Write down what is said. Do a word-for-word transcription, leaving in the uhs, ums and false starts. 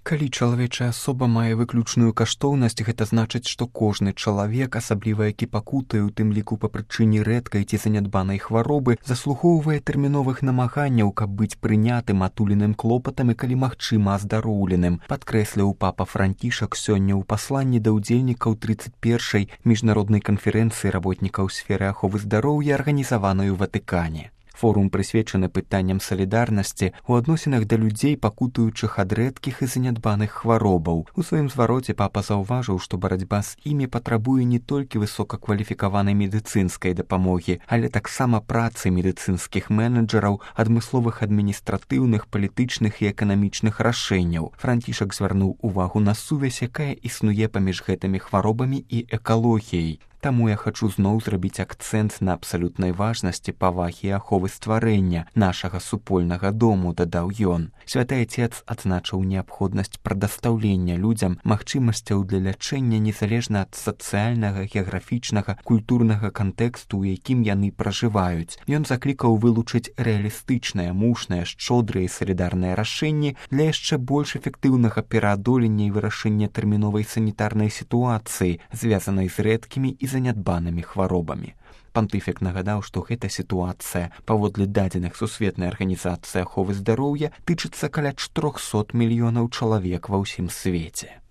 Калі чалавечая асоба мае выключную каштоўнасць, гэта значыць, што кожны чалавек, асабліва які пакутае, у тым ліку па прычыне рэдкай ці занядбанай хваробы, заслугоўвае тэрміновых намаганняў, каб быць прынятым атуленым клопатам і, калі магчыма, аздароўленым, падкрэсліў папа Францішак сёння ў пасланні да ўдзельнікаў трыццаць першай міжнароднай канферэнцыі работнікаў сферы аховы здароўя, арганізаванай у Ватыкане. Форум прысвечаны пытанням салідарнасці ў адносінах да людзей, пакутуючых ад рэдкіх і занядбаных хваробаў. У сваім звароце папа заўважыў, што барацьба з імі патрабуе не толькі высокакваліфікаванай медыцынскай дапамогі, але таксама працы медыцынскіх менеджераў, адмысловых адміністратыўных, палітычных і эканамічных рашэнняў. Францішак звярнуў увагу на сувязь, якая існуе паміж гэтымі хваробамі і экалогіяй. Таму я хачу зноў зрабіць акцэнт на абсалютнай важнасці павагі і аховы стварэння нашага супольнага дому, дадаў ён. Святы Отец адзначыў неабходнасць прадастаўлення людзям магчымасцяў для лячэння незалежна ад сацыяльнага, геаграфічнага, культурнага кантэксту, у якім яны пражываюць. Ён заклікаў вылучыць рэалістычныя, мушныя, шчодрыя і салідарныя рашэнні для яшчэ больш эфектыўнага пераадолення і вырашэння тэрміновай санітарнай сітуацыі, звязанай з рэдкімі і занядбанымі хваробамі. Пантыфік нагадаў, што гэта сітуацыя, паводле дадзеных Сусветнай арганізацыі аховы здароўя, тычыцца каля чатырохсот мільёнаў чалавек ва ўсім свеце.